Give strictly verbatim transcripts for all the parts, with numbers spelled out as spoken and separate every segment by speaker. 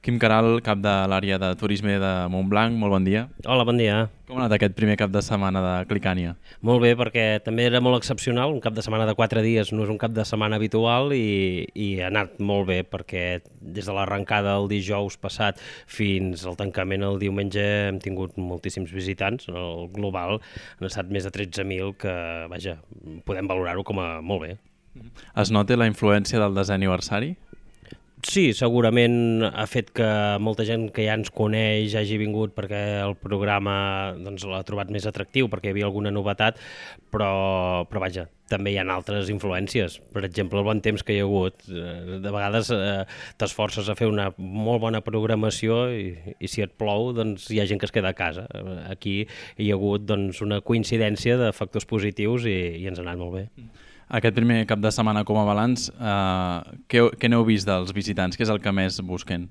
Speaker 1: Quim Caral, cap de l'àrea de turisme de Montblanc, molt bon dia.
Speaker 2: Hola, bon dia.
Speaker 1: Com ha anat aquest primer cap de setmana de Clicània?
Speaker 2: Molt bé, perquè també era molt excepcional, un cap de setmana de quatre dies no és un cap de setmana habitual i, i ha anat molt bé perquè des de l'arrencada el dijous passat fins al tancament el diumenge hem tingut moltíssims visitants. El global han estat més de tretze mil que, vaja, podem valorar-ho com a molt bé.
Speaker 1: Es nota la influència del desè aniversari?
Speaker 2: Sí, segurament ha fet que molta gent que ja ens coneix hagi vingut perquè el programa doncs, l'ha trobat més atractiu, perquè hi havia alguna novetat, però, però vaja, també hi ha altres influències. Per exemple, el bon temps que hi ha hagut. De vegades eh, t'esforces a fer una molt bona programació i, i si et plou doncs hi ha gent que es queda a casa. Aquí hi ha hagut doncs, una coincidència de factors positius i, i ens ha anat molt bé.
Speaker 1: Aquest primer cap de setmana com a balanç, eh, què, què n'heu vist dels visitants? Què és el que més busquen?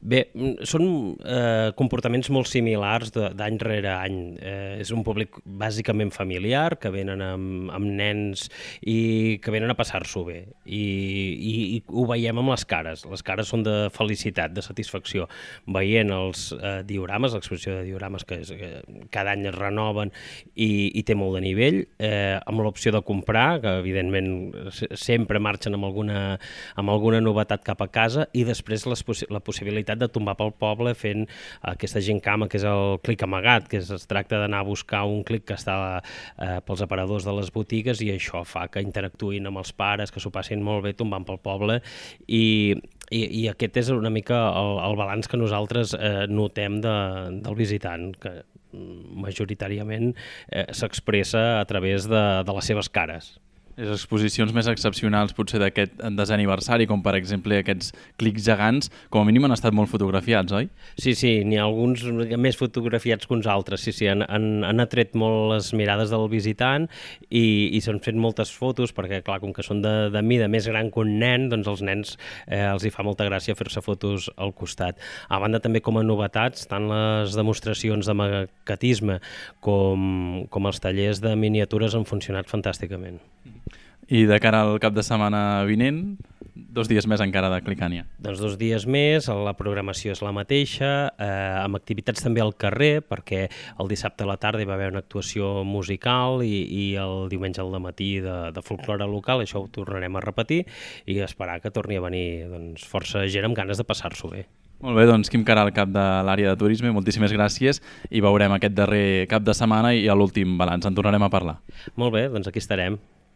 Speaker 2: Bé, són eh, comportaments molt similars d'any rere any. Eh, és un públic bàsicament familiar, que venen amb, amb nens i que venen a passar-s'ho bé. I, i, I ho veiem amb les cares. Les cares són de felicitat, de satisfacció. Veient els eh, diorames, l'exposició de diorames que, és, que cada any es renoven i, i té molt de nivell, eh, amb l'opció de comprar, que evidentment sempre marxen amb alguna, amb alguna novetat cap a casa, i després les, la possibilitat de tombar pel poble fent aquesta gincama que és el clic amagat, que és, es tracta d'anar a buscar un clic que està eh, pels aparadors de les botigues i això fa que interactuïn amb els pares, que s'ho passin molt bé tombant pel poble i, i, i aquest és una mica el, el balanç que nosaltres eh, notem de, del visitant, que majoritàriament eh, s'expressa a través de, de les seves cares.
Speaker 1: Les exposicions més excepcionals potser d'aquest desè aniversari, com per exemple aquests clics gegants, com a mínim han estat molt fotografiats, oi?
Speaker 2: Sí, sí, n'hi ha alguns més fotografiats que uns altres, sí, sí, han, han, han atret molt les mirades del visitant i, i s'han fet moltes fotos perquè, clar, com que són de, de mida més gran que un nen, doncs els nens eh, els hi fa molta gràcia fer-se fotos al costat. A banda també com a novetats, tant les demostracions de maquetisme com, com els tallers de miniatures han funcionat fantàsticament.
Speaker 1: I de cara al cap de setmana vinent, dos dies més encara de Clicània.
Speaker 2: Doncs dos dies més, la programació és la mateixa, eh, amb activitats també al carrer, perquè el dissabte a la tarda hi va haver una actuació musical i, i el diumenge al matí de, de folklore local, això ho tornarem a repetir i esperar que torni a venir doncs, força gent amb ganes de passar-s'ho bé.
Speaker 1: Molt bé, doncs Quim Caral, cap de l'àrea de turisme, moltíssimes gràcies i veurem aquest darrer cap de setmana i a l'últim balanç. En tornarem a parlar.
Speaker 2: Molt bé, doncs aquí estarem.